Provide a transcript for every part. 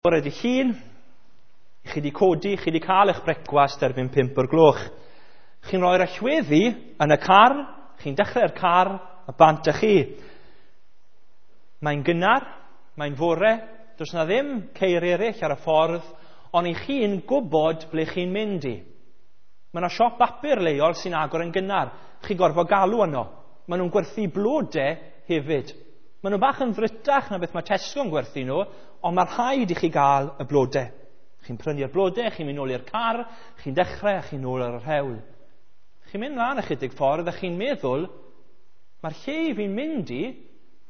Bore dy Llun, chi wedi codi, chi wedi cael eich brecwast erbyn 5 o'r gloch. Chi'n rhoi'r allweddi yn y car, chi'n dechrau'r car, a bant â chi. Mae'n gynnar, mae'n fore, does na ddim ceir eraill ar y ffordd, ond i chi'n gwybod ble chi'n mynd i. Mae yna siop bapur leol sy'n agor yn gynnar. Chi gorfod galw yno. Maen nhw'n gwerthu blodau hefyd. Maen nhw bach yn ddrytach na beth mae Tesco'n gwerthu nhw, ond mae rhaid i chi gael y blodau. Chi'n prynu'r blodau, chi'n mynd nôl i'r car, chi'n dechrau a chi'n nôl ar yr hewl. Chi'n mynd mlaen ychydig ffordd a chi'n meddwl, mae'r lle i fi'n mynd i,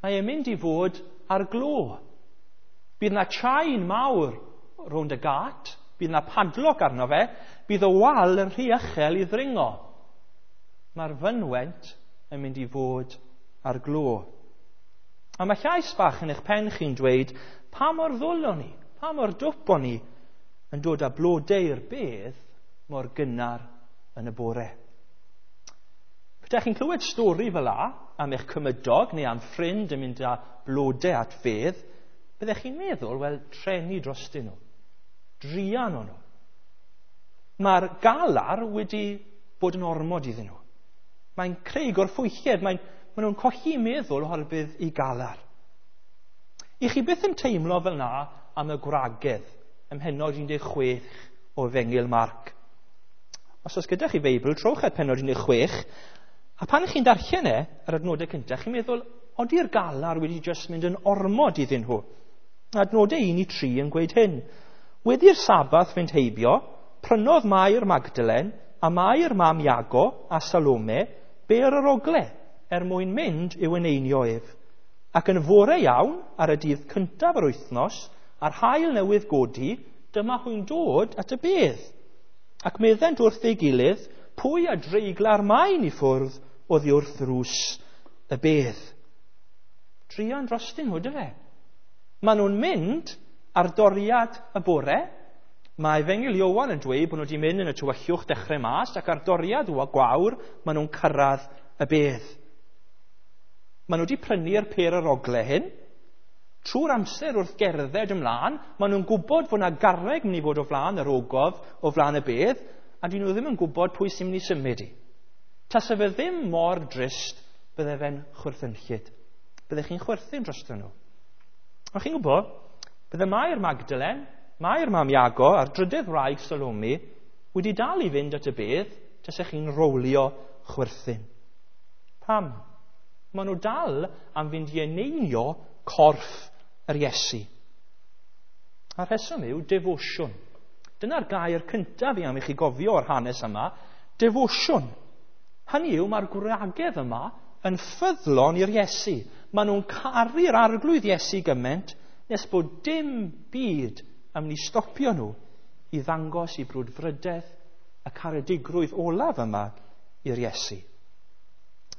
mae e'n mynd i fod ar glo. Bydd na chain mawr rownd y gât, bydd na padlock arno fe, bydd y wal yn rhy uchel i ddringo. Mae'r fynwent yn mynd i fod ar glo. A mae llais bach yn eich pen chi'n dweud, pa mor ddwl o'n i, pa mor dwp o'n i yn dod â blodau i'r bedd mor gynnar yn y bore. Petai chi'n clywed stori fel la am eich cymydog neu am ffrind yn mynd â blodau at fedd, byddech chi'n meddwl, wel, treni drostyn nhw. Druan o'n nhw. Mae'r galar wedi bod yn ormod iddyn nhw. Mae'n creu gorffwylledd, maen nhw'n colli meddwl oherwydd i galar. I chi byth yn teimlo fel na am y gwragedd ym mhennod 16 o Efengyl Marc. Os oes gyda chi Feibl, trowch at pennod 16, a pan chi'n darllen e, yr adnodau cyntaf, chi'n meddwl, odi'r galar wedi jyst mynd yn ormod iddyn nhw? Adnodau 1 i 3 yn gweud hyn. Wedi'r Sabath fynd heibio, prynodd Mair Magdalen a Mair mam Iago a Salome ber yr ogle er mwyn mynd i'w eneinio ef. Ac yn fore iawn, ar y dydd cyntaf yr wythnos, a'r haul newydd godi, dyma hwy'n dod at y bedd. Ac meddent wrth ei gilydd, pwy a dreigla'r maen i ffwrdd oddi wrth ddrws y bedd. Druan drostyn nhw, dyfe? Maen nhw'n mynd ar doriad y bore. Mae Efengyl Ioan yn dweud bod nhw wedi mynd yn y tywyllwch dechrau mas, ac ar doriad o gwawr, maen nhw'n cyrraedd y bedd. Maen nhw wedi prynu'r pêr yr ogle hyn. Trwy'r amser wrth gerdded ymlaen, maen nhw'n gwybod fod yna garreg mynd i fod o flaen yr ogof, o flaen y bedd, a dyn nhw ddim yn gwybod pwy sy'n mynd i symud i. Tase fe ddim mor drist, bydde fe'n chwerthynllyd. Bydde chi'n chwerthin drosto nhw. Ond chi'n gwybod, bydde Mair Magdalen, Mair mam Iago a'r drydydd wraig Salome wedi dal i fynd at y bedd, tase chi'n rowlio chwerthin. Pam? Maen nhw dal am fynd i eneinio corff yr Iesu. A'r rheswm yw defosiwn. Dyna'r gair cyntaf i am i chi gofio o'r hanes yma, defosiwn. Hynny yw, mae'r gwragedd yma yn ffyddlon i'r Iesu. Maen nhw'n caru'r arglwydd Iesu gymaint nes bod dim byd am mynd i stopio nhw i ddangos i brwdfrydedd y caredigrwydd olaf yma i'r Iesu.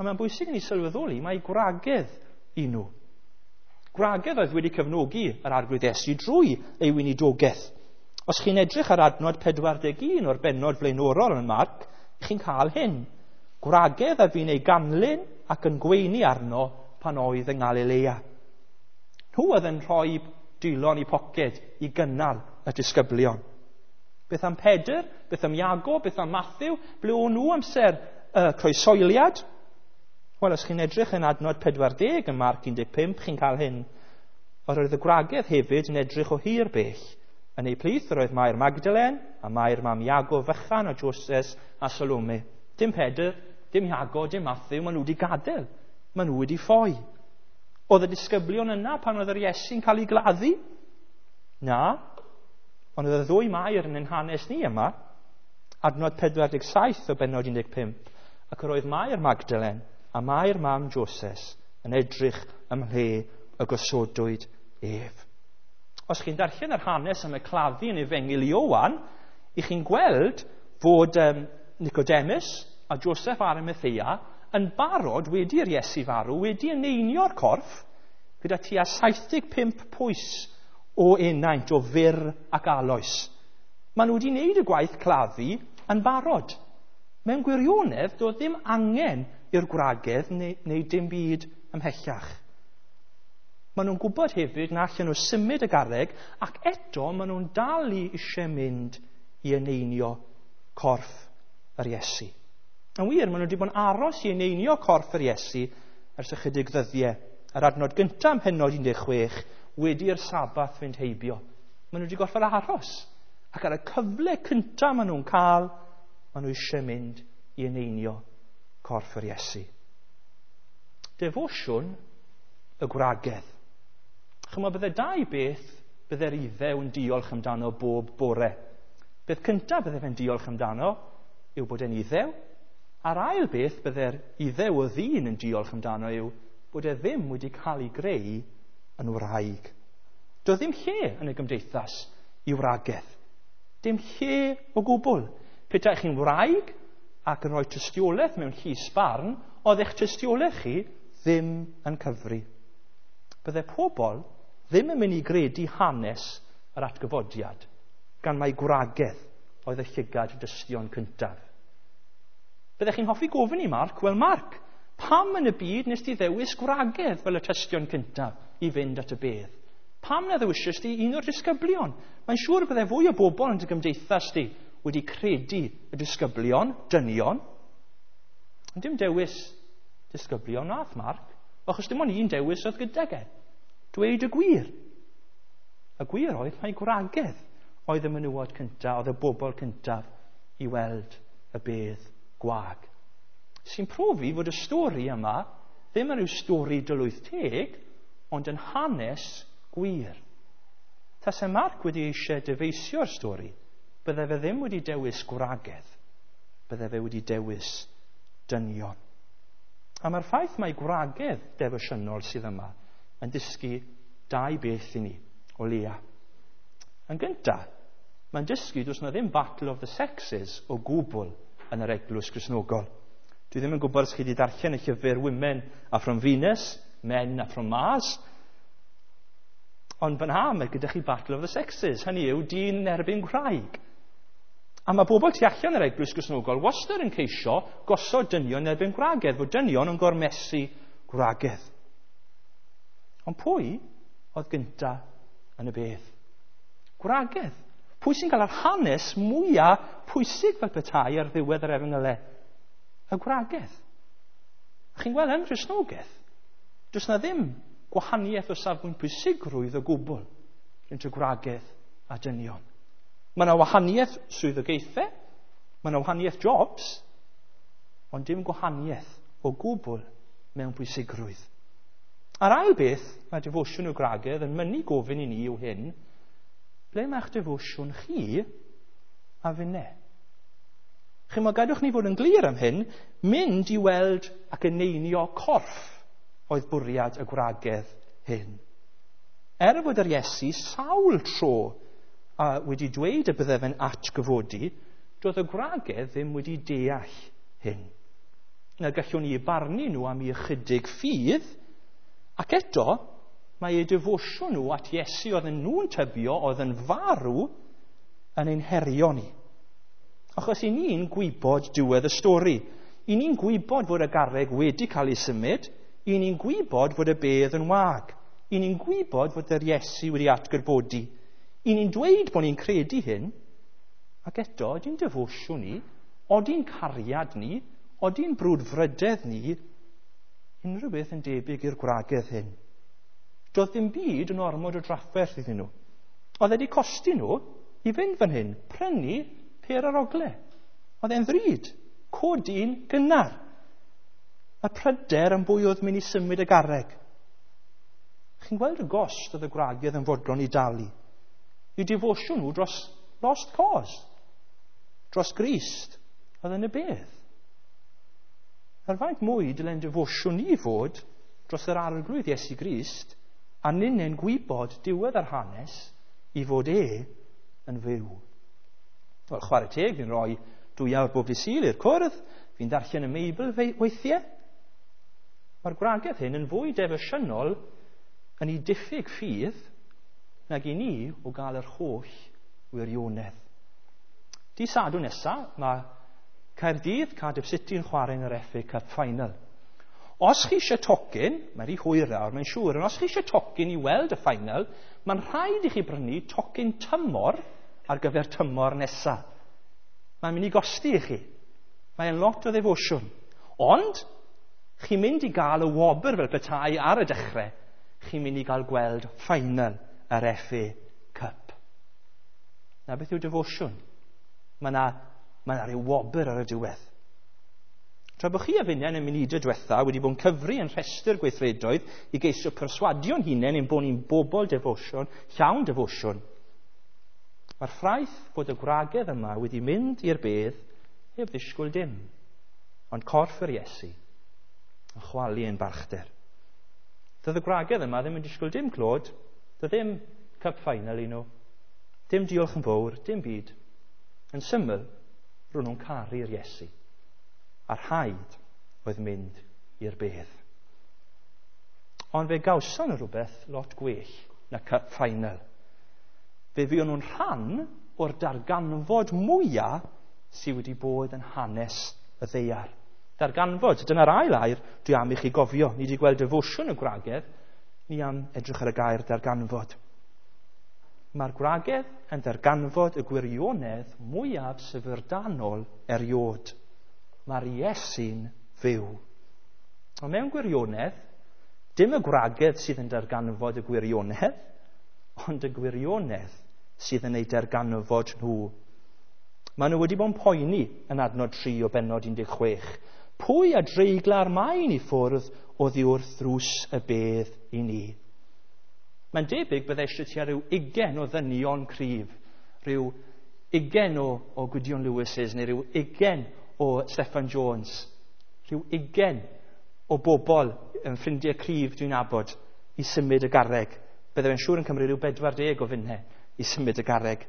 A mae'n bwysig i ni sylweddoli mae gwragedd i nhw. Gwragedd oedd wedi cefnogi yr arglwydd Iesu drwy ei weinidogaeth. Os chi'n edrych ar adnod 41 o'r bennod flaenorol yn Marc, chi'n cael hyn. Gwragedd a fu'n ei ganlyn ac yn gweini arno pan oedd yng Nghalilea. Nhw oedd yn rhoi dylon i poced i gynnal y disgyblion. Beth am Pedr? Beth am Iago? Beth am Matthew? Ble o'n nhw amser y croesoeliad? Wel, os chi'n edrych yn adnod 40 yn Marc 15, chi'n cael hyn. Yr oedd y gwragedd hefyd yn edrych o hir bell. Yn eu plith yr oedd Mair Magdalen a Mair mam Iago Fychan a Joses a Salome. Dim Pedr, dim Iago, dim Matthew, maen nhw wedi gadael. Maen nhw wedi ffoi. Oedd y disgyblion yna pan oedd yr Iesu'n cael ei gladdu? Na. Ond oedd y ddwy Mair yn ein hanes ni yma, adnod 47 o bennod 15, ac yr oedd Mair Magdalen a Mair mam Joses yn edrych ymhle y gosodwyd ef. Os chi'n darllen yr hanes am y claddu yn Efengyl Ioan, i chi'n gweld fod Nicodemus a Joseph Arimathea yn barod wedi'r Iesu farw, wedi eneinio'r corff gyda tua 75 pwys o enaint, o fyr ac aloes. Maen nhw wedi wneud y gwaith claddu yn barod. Mewn gwirionedd, doedd ddim angen i'r gwragedd neu dim byd ymhellach. Maen nhw'n gwybod hefyd na allan nhw symud y garreg, ac eto maen nhw'n dal i eisiau mynd i eneinio corff yr Iesu. Yn wir, maen nhw wedi bod yn aros i eneinio corff yr Iesu ers ychydig ddyddiau. Yr adnod gyntaf ym mhennod 16, wedi'r Sabath fynd heibio. Maen nhw wedi gorfod aros. Ac ar y cyfle cyntaf maen nhw'n cael, maen nhw eisiau mynd i eneinio corff yr Iesu. Defosiwn y gwragedd. Chymod, bydde dau beth bydde'r Iddew yn diolch amdano bob bore. Beth cyntaf bydde fe'n diolch amdano yw bod e'n Iddew, a'r ail beth bydde'r Iddew o ddyn yn diolch amdano yw bod e ddim wedi cael ei greu yn wraig. Doedd ddim lle yn y gymdeithas i wragedd. Dim lle o gwbl. Petai chi'n wraig ac yn rhoi tystiolaeth mewn llys barn, oedd eich tystiolaeth chi ddim yn cyfri. Bydde pobl ddim yn mynd i gredu hanes yr atgyfodiad, gan mai gwragedd oedd y llygad dystion cyntaf. Byddech chi'n hoffi gofyn i Mark, wel Mark, pam yn y byd nes ti ddewis gwragedd fel y tystion cyntaf i fynd at y bedd? Pam na ddewisys di un o'r disgyblion? Mae'n siŵr bydde fwy o bobl yn dy gymdeithas di wedi credu y disgyblion, dynion. Ond dim dewis disgyblion nath Mark, achos dim ond un dewis oedd gydag e. Dweud y gwir. Y gwir oedd mai gwragedd oedd y menywod cyntaf, oedd y bobl cyntaf i weld y bedd gwag. Sy'n profi fod y stori yma ddim yn rhyw stori dylwyth teg, ond yn hanes gwir. Tase Mark wedi eisiau dyfeisio'r stori, bydde fe ddim wedi dewis gwragedd, bydde fe wedi dewis dynion. A mae'r ffaith mai gwragedd defosiynol sydd yma yn dysgu dau beth i ni, o leia. Yn gyntaf, mae'n dysgu does na ddim battle of the sexes o gwbl yn yr eglwys Gristnogol. Dwi ddim yn gwybod os chi wedi darllen y llyfr Women Are From Venus, Men Are From Mars. Ond fan ha, mae gyda chi Battle of the Sexes, hynny yw dyn yn erbyn gwraig. A mae bobl tu allan yr eglwys Gristnogol wastad yn ceisio gosod dynion yn erbyn gwragedd, fod dynion yn gormesu gwragedd. Ond pwy oedd gynta yn y bedd? Gwragedd. Pwy sy'n cael yr hanes mwyaf pwysig fel petai ar ddiwedd yr efengylau? Y gwragedd. A chi'n gweld yng Nghristnogaeth, does na ddim gwahaniaeth o safbwynt pwysigrwydd o gwbl rhwng y gwragedd a dynion. Mae yna wahaniaeth swyddogaethau, mae yna wahaniaeth jobs, ond dim gwahaniaeth o gwbl mewn pwysigrwydd. A'r ail beth mae defosiwn y gwragedd yn mynnu gofyn i ni yw hyn, ble mae'ch defosiwn chi a finne? Chi'mod, gadwch ni fod yn glir am hyn, mynd i weld ac eneinio corff oedd bwriad y gwragedd hyn. Er fod yr Iesu sawl tro a wedi dweud y bydde fe'n atgyfodi, doedd y gwragedd ddim wedi deall hyn. Na gallwn ni barnu nhw am eu ychydig ffydd, ac eto mae eu defosiwn nhw at Iesu oedd yn nhw'n tybio oedd yn farw yn ein herio ni. Achos i ni'n gwybod diwedd y stori. I ni'n gwybod fod y garreg wedi cael ei symud. I ni'n gwybod fod y bedd yn wag. I ni'n gwybod fod yr Iesu wedi atgyfodi. I ni'n dweud bod ni'n credu hyn, ac eto, ydy'n defosiwn ni, ody'n cariad ni, ody'n brwdfrydedd ni, unrhyw beth yn debyg i'r gwragedd hyn. Doedd ddim byd yn ormod o drafferth iddyn nhw. Oedd wedi costi nhw i fynd fan hyn, prynu pêr ar ogle. Oedd e'n ddrud, codi'n gynnar. Y pryder yn bwy oedd mynd i symud y garreg. Chi'n gweld y gost oedd y gwragedd yn fodlon i dalu. I defosiwn nhw dros lost cause, dros Grist, oedd yn y bedd. Er faint mwy dylen defosiwn ni fod dros yr arglwydd Iesu Grist, a ninnau'n gwybod diwedd yr hanes i fod e yn fyw. Wel, chwarae teg, fi'n rhoi 2 awr bob dydd Sul i'r cwrdd, fi'n darllen y Meibl weithiau. Mae'r gwragedd hyn yn fwy defosiynol yn ei diffyg ffydd nag i ni o gael yr holl wirionedd. Dydd Sadwrn nesaf, mae Caerdydd, Cardiff City yn chwarae yn yr FA Cup Final. Os chi eisiau tocyn, mae'n rhy hwyr nawr, mae'n siŵr, ond os chi eisiau tocyn i weld y final, mae'n rhaid i chi brynu tocyn tymor ar gyfer tymor nesaf. Mae'n mynd i gosti i chi. Mae'n lot o ddefosiwn. Ond, chi'n mynd i gael y wobr fel petai ar y dechrau, chi'n mynd i gael gweld final yr FA Cup. Na beth yw defosiwn? Mae yna mae 'na rhyw wobr ar y diwedd. Tra bod chi a finne yn y munudau diwetha wedi bod yn cyfri yn rhestr gweithredoedd i geisio perswadio'n hunain ein bod ni'n bobl defosiwn, llawn defosiwn, mae'r ffaith bod y gwragedd yma wedi mynd i'r bedd heb ddisgwyl dim, ond corff yr Iesu yn chwalu ein balchder. Doedd y gwragedd yma ddim yn disgwyl dim clod, doedd ddim cup final i nhw, dim diolch yn fawr, dim byd. Yn syml, ro'n nhw'n caru'r Iesu. A rhaid oedd mynd i'r bedd. Ond fe gawson nhw rhywbeth lot gwell na cup final. Fe fuon nhw'n rhan o'r darganfod mwyaf sydd wedi bod yn hanes y ddaear. Darganfod, dyna'r ail air dwi am i chi gofio. Ni wedi gweld defosiwn y gwragedd, ni am edrych ar y gair darganfod. Mae'r gwragedd yn darganfod y gwirionedd mwyaf syfrdanol erioed. Mae'r Iesu'n fyw. Ond mewn gwirionedd, dim y gwragedd sydd yn darganfod y gwirionedd, ond y gwirionedd sydd yn ei darganfod nhw. Maen nhw wedi bod yn poeni yn adnod 3 o bennod 16. Pwy a dreigla'r maen i ffwrdd oddi wrth ddrws y bedd i ni? Mae'n debyg bydde eisiau tua rhyw 20 o ddynion cryf, rhyw 20 o Gwydion Lewis's neu rhyw 20 o Steffan Jones, rhyw 20 o bobl yn ffrindiau cryf dwi'n nabod i symud y garreg. Bydde fe'n siŵr yn cymryd rhyw 40 o funnau i symud y garreg.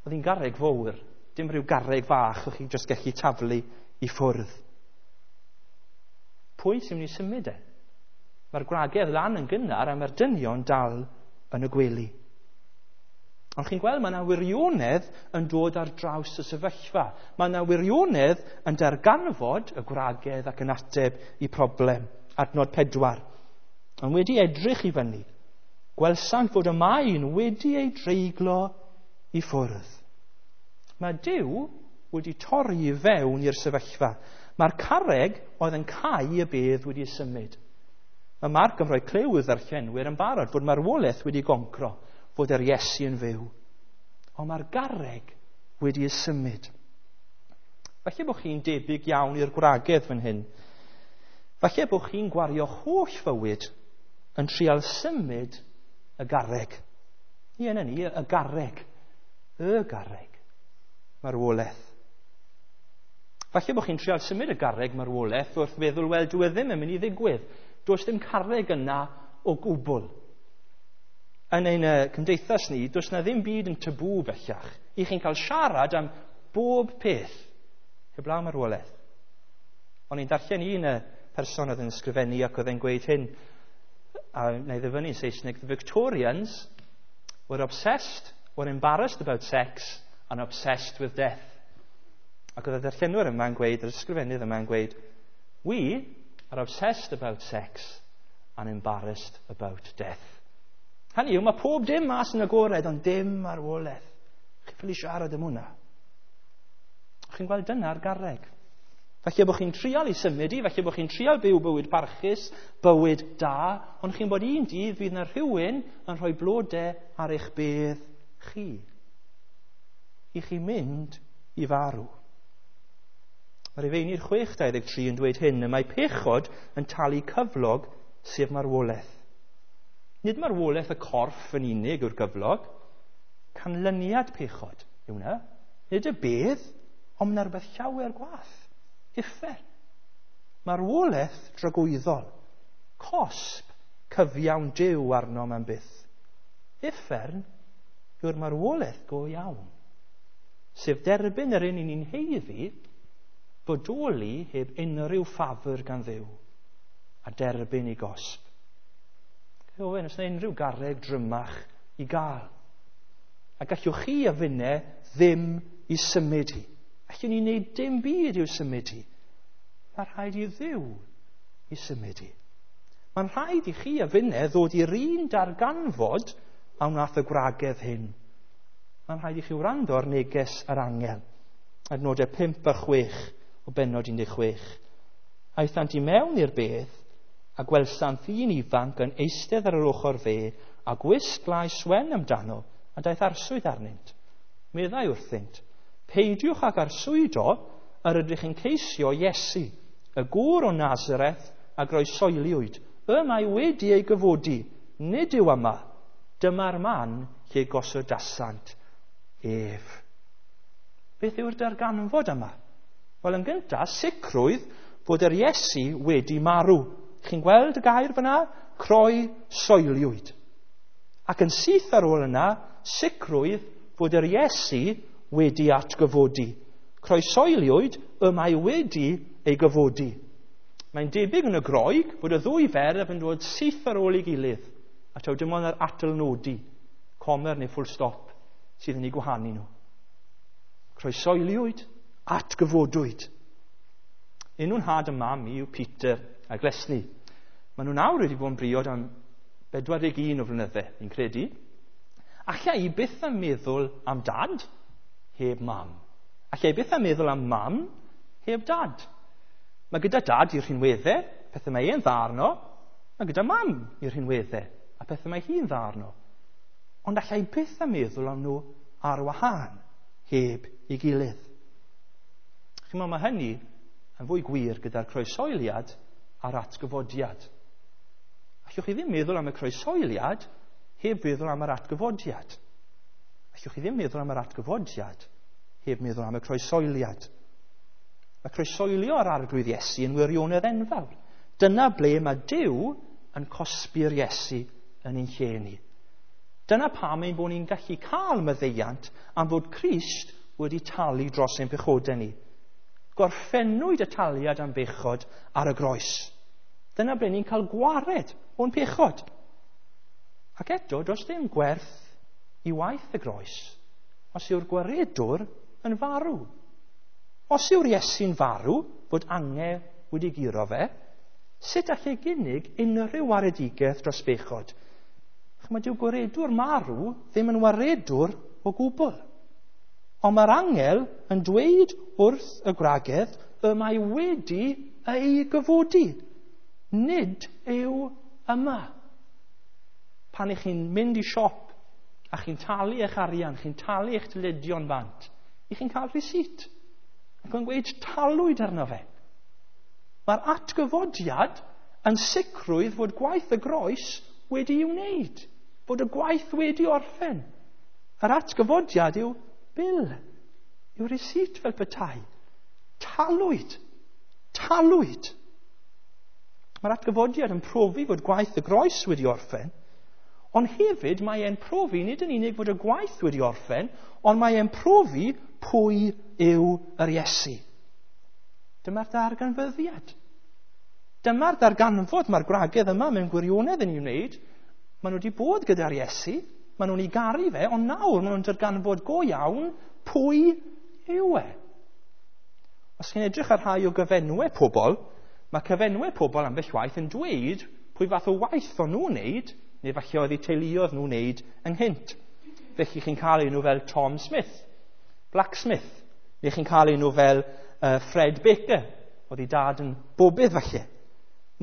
Oedd hi'n garreg fawr, dim rhyw garreg fach o'ch chi jyst gallu taflu i ffwrdd. Pwy sy'n mynd i symud e? Mae'r gwragedd lan yn gynnar a mae'r dynion dal yn y gwely. Ond chi'n gweld, mae yna wirionedd yn dod ar draws y sefyllfa. Mae yna wirionedd yn darganfod y gwragedd ac yn ateb i problem. Adnod 4. Ond wedi edrych i fyny, gwelsant fod y maen wedi ei dreiglo i ffwrdd. Mae Duw wedi torri i fewn i'r sefyllfa. Mae'r carreg oedd yn cau y bedd wedi symud. Mae Marc yn rhoi clyw i'r ddarllenwyr yn barod fod marwolaeth wedi goncro, fod yr Iesu yn fyw. Ond mae'r garreg wedi ei symud. Falle bod chi'n debyg iawn i'r gwragedd fan hyn. Falle bod chi'n gwario holl fywyd yn trial symud y garreg. Ie, na ni, y garreg. Y garreg. Marwolaeth. Falle bod chi'n trial symud y garreg marwolaeth wrth feddwl, wel, dwi ddim yn mynd i ddigwydd. Does dim carreg yna o gwbl. Yn ein cymdeithas ni, does na ddim byd yn tabŵ bellach. I chi'n cael siarad am bob peth, heblaw marwolaeth. O'n i'n darllen un person oedd yn ysgrifennu ac oedd e'n gweud hyn, a wna i ddyfynnu yn Saesneg, "The Victorians were obsessed, were embarrassed about sex and obsessed with death." Ac oedd y darllenwyr yma'n gweud, yr ysgrifennydd yma'n gweud, "We are obsessed about sex and embarrassed about death." Hynny yw, mae pob dim mas yn agored, ond dim marwolaeth. Chi'n ffili siarad am hwnna. Chi'n gweld, dyna'r garreg. Falle bod chi'n trial i symud i, falle bod chi'n trial byw bywyd parchus, bywyd da, ond chi'n bod un dydd fydd yna rhywun yn rhoi blodau ar eich bedd chi. I chi mynd i farw. Mae'r Rhufeinydd 6.23 yn dweud hyn, y mae pechod yn talu cyflog, sef marwolaeth. Nid marwolaeth y corff yn unig yw'r gyflog, canlyniad pechod yw hwnna. Nid y bedd, ond mae rhywbeth llawer gwaeth. Uffern. Marwolaeth dragwyddol. Cosb cyfiawn Duw arno am byth. Uffern yw'r marwolaeth go iawn. Sef derbyn yr un ni'n haeddu, bodoli heb unrhyw ffafr gan Dduw, a derbyn ei gosb. Owen, oes yna unrhyw garreg drymach i gael? A gallwch chi a finne ddim i symud hi. Allwn ni wneud dim byd i'w symud hi. Mae rhaid i Dduw i symud i. Mae'n rhaid i chi a finne ddod i'r un darganfod a wnaeth y gwragedd hyn. Mae'n rhaid i chi wrando ar neges yr angel. Adnodau 5 a 6 o bennod 16. Aethant i mewn i'r bedd a gwelsant ddyn ifanc yn eistedd ar yr ochr dde a gwisg laes wen amdano a daeth arswyd arnynt. Meddai wrthynt, peidiwch ag arswydo yr ydych yn ceisio Iesu, y gŵr o Nazareth a groesoeliwyd. Y mae wedi ei gyfodi, nid yw yma. Dyma'r man lle gosodasant ef. Beth yw'r darganfod yma? Wel, yn gyntaf, sicrwydd fod yr Iesu wedi marw. Chi'n gweld y gair fyna? Croesoeliwyd. Ac yn syth ar ôl yna, sicrwydd fod yr Iesu wedi atgyfodi. Croesoeliwyd, y mae wedi ei gyfodi. Mae'n debyg yn y Groeg fod y ddwy ferf yn dod syth ar ôl ei gilydd, a taw dim ond yr atalnodi, comer neu full stop, sydd yn ei gwahanu nhw. Croesoeliwyd, atgyfodwyd. Enw'n nhad a mam i yw Peter a Glesni. Maen nhw nawr wedi bod yn briod am 41 o flynydde, fi'n credu. Alla i byth am meddwl am dad heb mam. Alla i byth am meddwl am mam heb dad. Mae gyda dad i'r rhinweddau, pethau mae e'n dda arno. Mae gyda mam i'r rhinweddau, a pethau mae hi'n dda arno. Ond alla i byth am meddwl am nhw ar wahân, heb ei gilydd. Chi'mod, mae hynny yn fwy gwir gyda'r croesoeliad a'r atgyfodiad. Allwch chi ddim meddwl am y croesoeliad heb feddwl am yr atgyfodiad. Allwch chi ddim meddwl am yr atgyfodiad heb meddwl am y croesoeliad. Mae croesoelio ar Arglwydd Iesu yn wirionedd enfawr. Dyna ble mae Duw yn cosbi'r Iesu yn ein lle ni. Dyna pam ein bod ni'n gallu cael maddeuant am fod Crist wedi talu dros ein pechodau ni. Gorffennwyd y taliad am bechod ar y groes. Dyna ble ni'n cael gwared o'n pechod. Ac eto, does dim gwerth i waith y groes os yw'r gwaredwr yn farw. Os yw'r Iesu'n farw, fod angel wedi guro fe, sut allai gynnig unrhyw waredigaeth dros bechod? Chymod, dyw gwaredwr marw ddim yn waredwr o gwbl. Ond mae'r angel yn dweud wrth y gwragedd y mae wedi ei gyfodi. Nid yw yma. Pan ych chi'n mynd i siop a chi'n talu eich arian, chi'n talu eich dyledion bant, ych chi'n cael receipt. Ac yn gweud talwyd arno fe. Mae'r atgyfodiad yn sicrwydd fod gwaith y groes wedi i'w wneud, fod y gwaith wedi orffen. Yr atgyfodiad yw bil, yw receipt fel petai. Talwyd. Talwyd. Mae'r atgyfodiad yn profi fod gwaith y groes wedi orffen, ond hefyd mae e'n profi nid yn unig fod y gwaith wedi orffen, ond mae e'n profi pwy yw yr Iesu. Dyma'r darganfyddiad. Dyma'r darganfod mae'r gwragedd yma mewn gwirionedd yn ei wneud. Maen nhw wedi bod gyda'r Iesu, maen nhw'n ei garu fe, ond nawr maen nhw'n darganfod go iawn pwy yw e. Os chi'n edrych ar rhai o gyfenwau pobl, mae cyfenwau pobl ambell waith yn dweud pwy fath o waith o'n nhw'n wneud, neu falle oedd eu teuluoedd nhw'n wneud ynghynt. Felly chi'n cael enw fel Tom Smith, Blacksmith, neu chi'n cael enw fel Fred Baker, oedd ei dad yn bobydd falle.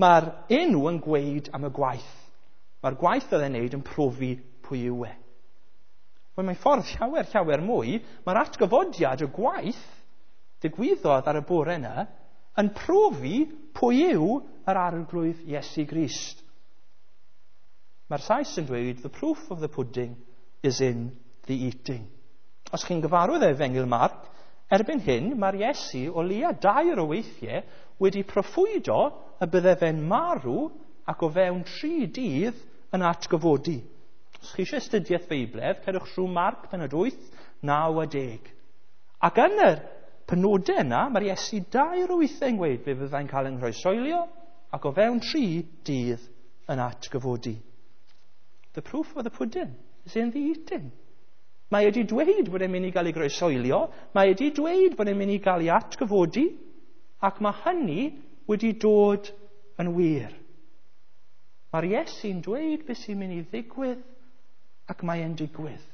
Mae'r enw yn gweud am y gwaith. Mae'r gwaith oedd e'n wneud yn profi pwy yw e. Wel, mae'n ffordd llawer, llawer mwy. Mae'r atgyfodiad y gwaith digwyddodd ar y bore yna yn profi pwy yw yr Arglwydd Iesu Grist. Mae'r Sais yn dweud, the proof of the pudding is in the eating. Os chi'n gyfarwydd Efengyl Marc, erbyn hyn mae'r Iesu o leia 2 o weithiau wedi proffwydo y bydde fe'n marw ac o fewn 3 dydd yn atgyfodi. Os chi eisiau astudiaeth Feibledd, cerwch trwy Marc pennod 8, 9 a 10. Ac yn yr penodau yna, mae'r Iesu 2 o weithiau yn gweud fe fyddai'n cael yng nghroesoelio ac o fewn 3 dydd yn atgyfodi. The proof of the pudding is in the eating. Mae wedi dweud bod e'n mynd i gael ei groesoelio, mae wedi dweud bod e'n mynd i gael ei atgyfodi, ac mae hynny wedi dod yn wir. Mae'r Iesu'n dweud beth sy'n mynd i ddigwydd ac mae e'n digwydd.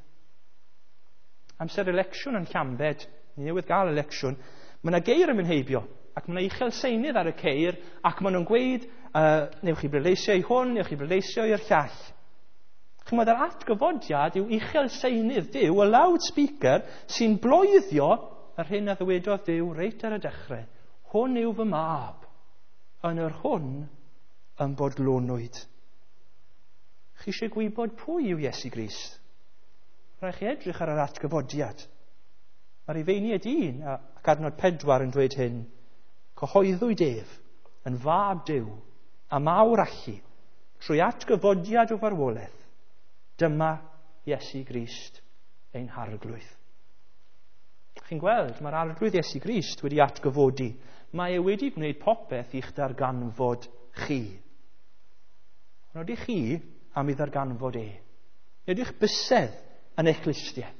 Amser election yn Llambed, ni newydd gael election, mae yna geir yn mynd heibio ac mae yna uchel seinydd ar y ceir ac maen nhw'n gweud, newch chi bleidleisio i hwn, newch chi bleidleisio i'r llall. Chymod, yr atgyfodiad yw uchel seinydd Duw, y loudspeaker sy'n bloeddio yr hyn a ddywedodd Duw reit ar y dechrau. Hwn yw fy mab, yn yr hwn yn bodlonwyd. Chi eisiau gwybod pwy yw Iesu Grist? Rhaid chi edrych ar yr atgyfodiad. Mae'r Rhufeiniaid 1 ac adnod 4 yn dweud hyn. Cyhoeddwyd ef yn fab Duw a mawr allu trwy atgyfodiad o farwolaeth. Dyma Iesu Grist ein harglwydd. Chi'n gweld, mae'r arglwydd Iesu Grist wedi atgyfodi. Mae e wedi gwneud popeth i'ch darganfod chi. Ond ydych chi am ei ddarganfod e? Ydych bysedd yn eich clustiau?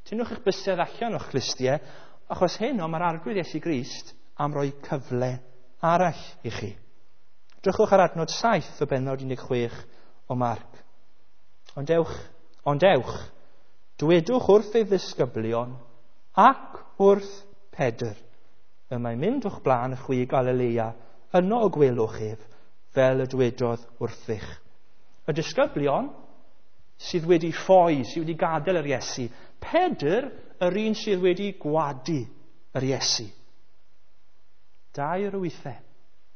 Tynnwch eich bysedd allan o'ch clustiau, achos heno mae'r arglwydd Iesu Grist am roi cyfle arall i chi. Drychwch ar adnod 7 o bennod 16 o Marc. Ond ewch, dwedwch wrth ei ddisgyblion ac wrth Pedr. Y mae'n mynd o'ch blaen chwi i Galilea, yno y gwelwch ef, fel y dwedodd wrthych. Y disgyblion sydd wedi ffoi, sydd wedi gadael yr Iesu. Pedr, yr un sydd wedi gwadu yr Iesu. Dair o weithiau.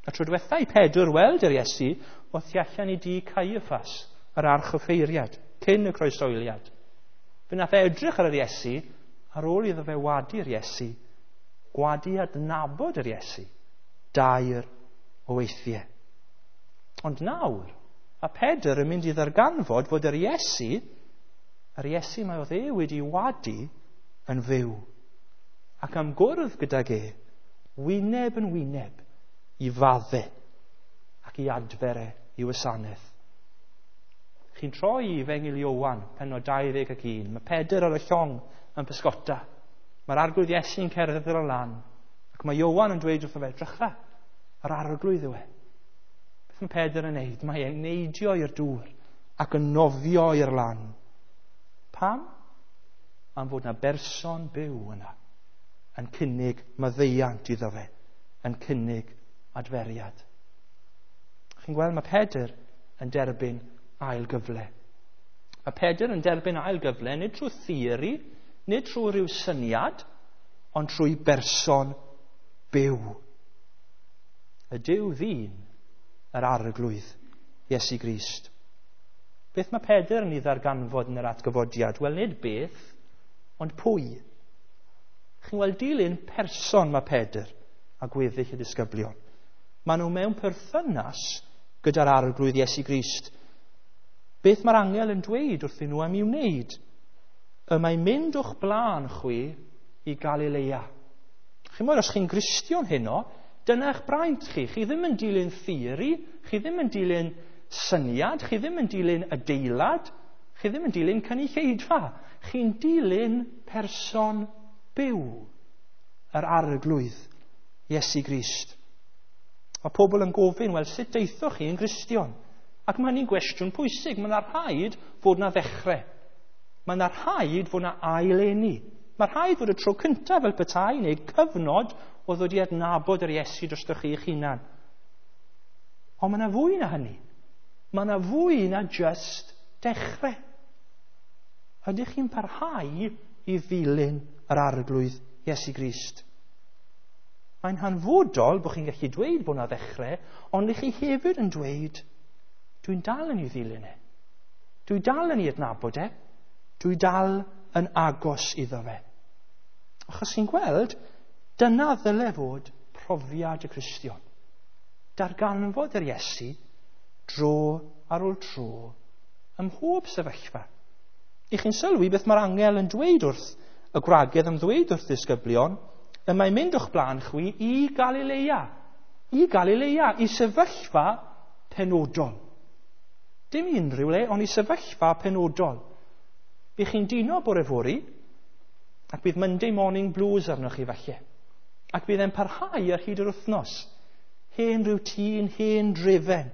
Y tro diwetha i Pedr weld yr Iesu, oedd tu allan i dŷ Caiaffas, yr archoffeiriad, cyn y croeshoeliad. Fe nath e edrych ar yr Iesu, ar ôl iddo fe wadu'r Iesu, gwadu adnabod yr Iesu, dair o weithiau. Ond nawr, a Pedr yn mynd i ddarganfod fod yr Iesu mae oedd e wedi wadu yn fyw. Ac am gwrdd gydag e, wyneb yn wyneb, i fadde ac i adfer e i wasanaeth. Chi'n troi i Efengyl Ioan, pennod 21. Mae Pedr ar y llong yn pysgota. Mae'r arglwydd Iesu'n cerdded ar y lan. Ac mae Ioan yn dweud wrtho fe, drycha, yr arglwydd yw e. Beth mae Pedr yn neud? Mae e'n neidio i'r dŵr ac yn nofio i'r lan. Pam? Am fod na berson byw yna yn cynnig maddeuant iddo fe, yn cynnig adferiad. Chi'n gweld, mae Pedr yn derbyn ail gyfle. Mae Pedr yn derbyn ail gyfle, nid trwy theori, nid trwy rhyw syniad, ond trwy berson byw. Y Duw ddyn, yr arglwydd, Iesu Grist. Beth mae Pedr yn ei ddarganfod yn yr atgyfodiad? Wel, nid beth, ond pwy. Chi'n gweld, dilyn person mae Pedr a gweddill y disgyblion. Maen nhw mewn perthynas gyda'r arglwydd Iesu Grist. Beth mae'r angel yn dweud wrthyn nhw am i'w wneud? Y mae'n mynd o'ch blaen chwi i Galilea. Chi'n gwybod, os chi'n Gristion heno, dyna eich braint chi. Chi ddim yn dilyn theori, chi ddim yn dilyn syniad, chi ddim yn dilyn adeilad, chi ddim yn dilyn cynulleidfa. Chi'n dilyn person byw, yr arglwydd Iesu Grist. Mae pobl yn gofyn, wel, sut deithoch chi yn Gristion? Ac mae hynny'n gwestiwn pwysig. Mae yna rhaid fod yna ddechrau. Mae yna rhaid fod yna aileni. Mae rhaid fod y tro cyntaf fel petai neu cyfnod o ddod i adnabod yr Iesu drostoch chi eich hunan. Ond mae yna fwy na hynny. Mae yna fwy na just dechrau. Ydych chi'n parhau i ddilyn yr arglwydd Iesu Grist? Mae'n hanfodol bod chi'n gallu dweud bod yna ddechrau, ond ych chi hefyd yn dweud, dwi'n dal yn ei ddilyn e. Dwi dal yn ei adnabod e. Dwi dal yn agos iddo fe. Achos chi'n gweld, dyna ddyle fod profiad y Cristion. Darganfod yr Iesu dro ar ôl tro ym mhob sefyllfa. I chi'n sylwi beth mae'r angel yn dweud wrth y gwragedd am ddweud wrth ddisgyblion, y mae'n mynd o'ch blaen chwi i Galilea. I Galilea, i sefyllfa penodol. Dim unrhyw le, ond i sefyllfa penodol. Bydd chi'n dino bore fory, ac bydd Monday morning blues arnoch chi falle. Ac bydd e'n parhau ar hyd yr wythnos. Hen routine, hen drefen.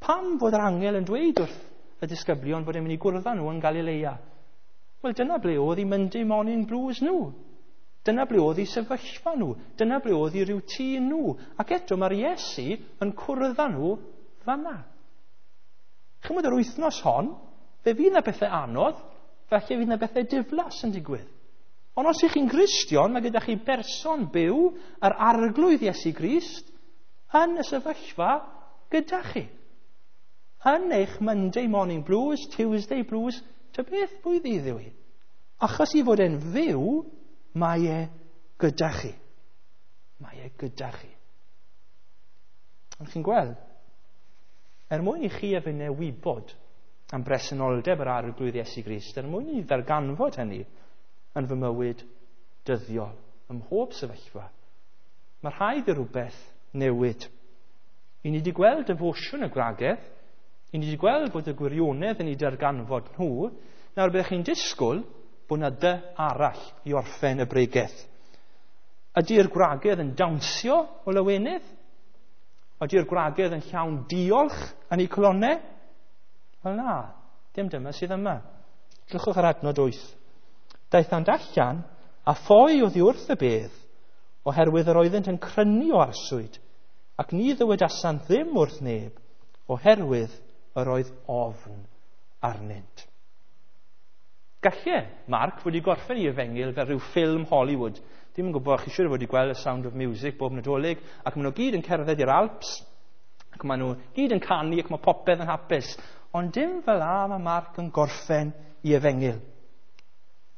Pam fod yr angel yn dweud wrth y disgyblion fod e'n mynd i gwrdd â nhw yn Galilea? Wel, dyna ble oedd eu Monday morning blues nhw. Dyna ble oedd eu sefyllfa nhw. Dyna ble oedd eu routine nhw. Ac eto mae'r Iesu yn cwrdd â nhw fanna. Chymod yr wythnos hon, fe fydd yna bethau anodd, falle fydd yna bethau diflas yn digwydd. Ond os ych chi'n Gristion, mae gyda chi berson byw, yr Arglwydd Iesu Grist, yn y sefyllfa gyda chi. Yn eich Monday morning blues, Tuesday blues, ta beth pwy ddydd yw hi. Achos i fod e'n fyw, mae e gyda chi. Mae e gyda chi. Ond chi'n gweld, er mwyn i chi a finne wybod am bresenoldeb yr Arglwydd Iesu Grist, er mwyn i ni ddarganfod hynny yn fy mywyd dyddiol, ym mhob sefyllfa, mae rhaid i rhywbeth newid. I ni wedi gweld defosiwn y gwragedd, i ni wedi gweld bod y gwirionedd yn ei darganfod nhw, nawr byddech chi'n disgwyl bod yna dy arall i orffen y bregeth. Ydy'r gwragedd yn dawnsio o lawenydd? Ydy'r gwragedd yn llawn diolch yn eu calonnau? Wel na, dim dyma sydd yma. Drychwch ar adnod 8. Daethant allan a ffoi oddi wrth y bedd, oherwydd yr oeddent yn crynu o arswyd, ac ni ddywedasant ddim wrth neb, oherwydd yr oedd ofn arnynt. Galle Mark wedi gorffen ei efengyl fel rhyw ffilm Hollywood. Dim yn gwybod, chi siŵr o fod wedi gweld y Sound of Music bob Nadolig, ac maen nhw gyd yn cerdded i'r Alps, ac maen nhw gyd yn canu, ac mae popeth yn hapus. Ond dim fel 'na mae Mark yn gorffen ei efengyl.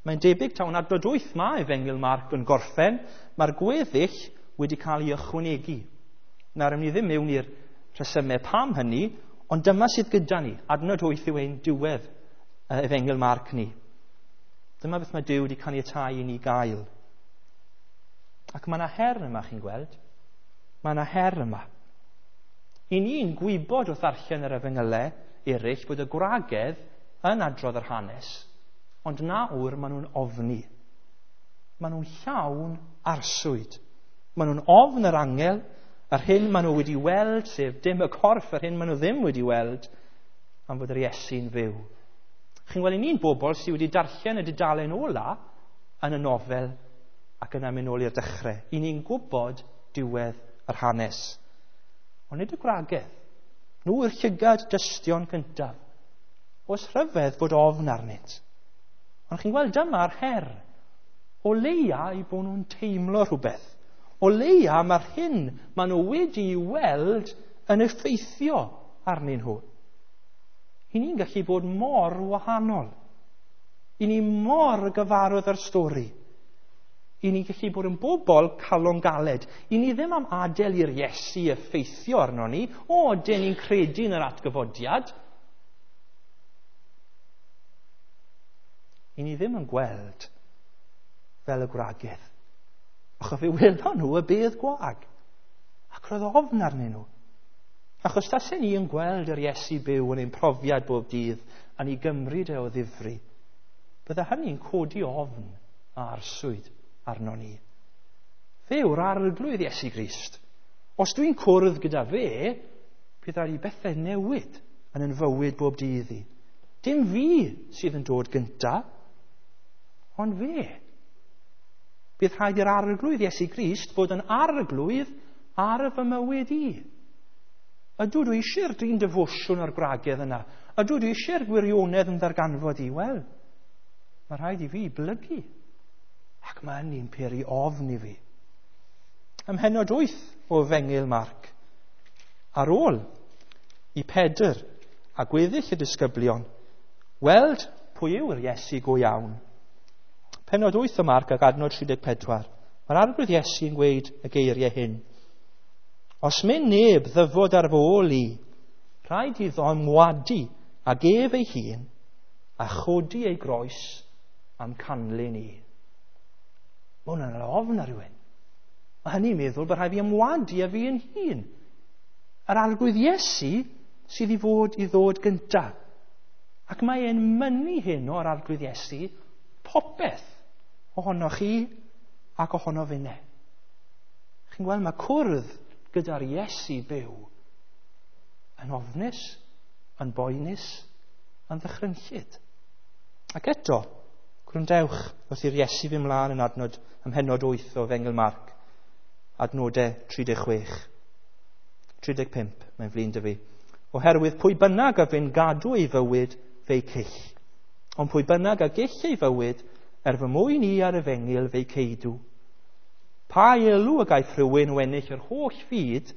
Mae'n debyg taw yn adnod 8 mae efengyl Mark yn gorffen, mae'r gweddill wedi cael ei ychwanegu. Nawr, ni ddim mewn i'r rhesymau pam hynny, ond dyma sydd gyda ni. Adnod 8 yw ein diwedd efengyl Mark ni. Dyma beth mae Duw wedi caniatáu i ni gael. Ac mae yna her yma, chi'n gweld. Mae yna her yma. I ni'n gwybod wrth ddarllen yr efengylau eraill bod y gwragedd yn adrodd yr hanes, ond nawr maen nhw'n ofni. Maen nhw'n llawn arswyd. Maen nhw'n ofn yr angel, yr hyn maen nhw wedi weld, sef dim y corff, yr hyn maen nhw ddim wedi weld, am fod yr Iesu'n fyw. Chi'n gweld, i ni'n bobl sydd wedi darllen y dudalen ola yn y nofel ac yna mynd nôl i'r dechrau. I ni'n gwybod diwedd yr hanes. Ond nid y gwragedd. Nhw yw'r llygad dystion cyntaf. Oes rhyfedd fod ofn arnynt. Ond chi'n gweld, dyma'r her. O leia i bod nhw'n teimlo rhywbeth. O leia mae'r hyn maen nhw wedi weld yn effeithio arnyn nhw. I ni'n gallu bod mor wahanol. I ni mor gyfarwydd â'r stori. I ni'n gallu bod yn bobl calon galed. I ni ddim am adael i'r Iesu effeithio arno ni. O, dyn ni'n credu yn yr atgyfodiad. I ni ddim yn gweld fel y gwragedd. Achos fe welon nhw y bedd gwag. Ac roedd ofn arnyn nhw. Achos tasen ni yn gweld yr Iesu byw yn ein profiad bob dydd a ni gymryd e o ddifri, bydde hynny'n codi ofn a arswyd arno ni. Fe yw'r Arglwydd Iesu Grist. Os dwi'n cwrdd gyda fe, bydd rhaid i bethau newid yn yn fywyd bob dydd i. Dim fi sydd yn dod gynta, ond fe. Bydd rhaid i'r Arglwydd Iesu Grist fod yn arglwydd ar fy mywyd i. Ydw dwi eisiau'r drin defosiwn o'r gwragedd yna? Ydw dwi eisiau'r gwirionedd yn ddarganfod i? Wel, mae rhaid i fi blygu. Ac mae hynny'n peri ofn i fi. Ym mhennod 8 o Efengyl Marc, ar ôl i Pedr a gweddill y disgyblion weld pwy yw'r Iesu go iawn. Pennod 8 o Marc ac adnod 34. Mae'r Arglwydd Iesu yn gweud y geiriau hyn. Os mynd neb ddyfod ar fy ôl i, rhaid iddo ymwadu ag ef ei hun a chodi ei groes am canlyn i. Mae hwnna'n ofn ar rhywun. Mae hynny'n meddwl bod rhaid fi ymwadu â fi yn hun. Yr Arglwydd Iesu sydd i fod i ddod gyntaf. Ac mae e'n mynnu hyn o'r Arglwydd Iesu popeth ohonoch chi ac ohono finne. Chi'n gweld, mae cwrdd gyda'r Iesu byw yn ofnus, yn boenus, yn ddychrynllyd. Ac eto, gwrandewch wrth i'r Iesu fy mlaen yn adnod ym mhennod 8 o Efengyl Marc, adnodau 36. 35, mae'n flin dy fi. Oherwydd pwy bynnag a fyn gadw ei fywyd, fe'i cyll. Ond pwy bynnag a gyll ei fywyd, er fy mwyn i ar efengyl fe'i ceidw. Pa elw y gaiff rhywun o ennill yr holl fyd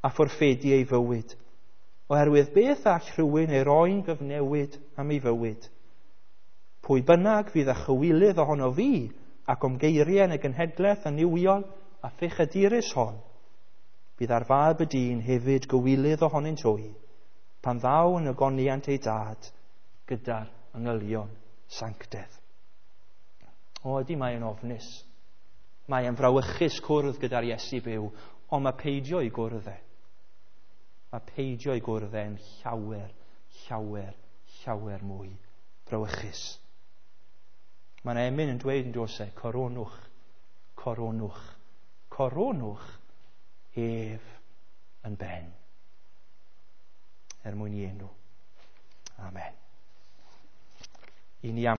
a fforffedu ei fywyd? Oherwydd beth all rhywun ei roi'n gyfnewid am ei fywyd? Pwy bynnag fydd â chywilydd ohono fi ac o'm geiriau yn y genhedlaeth annuwiol a phechadurus hon, bydd ar fab y dyn hefyd gywilydd ohonynt hwy, pan ddaw yn ogoniant ei dad gyda'r angylion sanctedd. O, ydy mae yn ofnus. Mae e'n frawychus cwrdd gyda'r Iesu byw, ond mae peidio i gwrdd e. Mae peidio i gwrdd e'n llawer, llawer, llawer mwy brawychus. Mae'n emyn yn dweud yn does e, coronwch, coronwch, coronwch ef yn ben. Er mwyn i enw. Amen. I ni am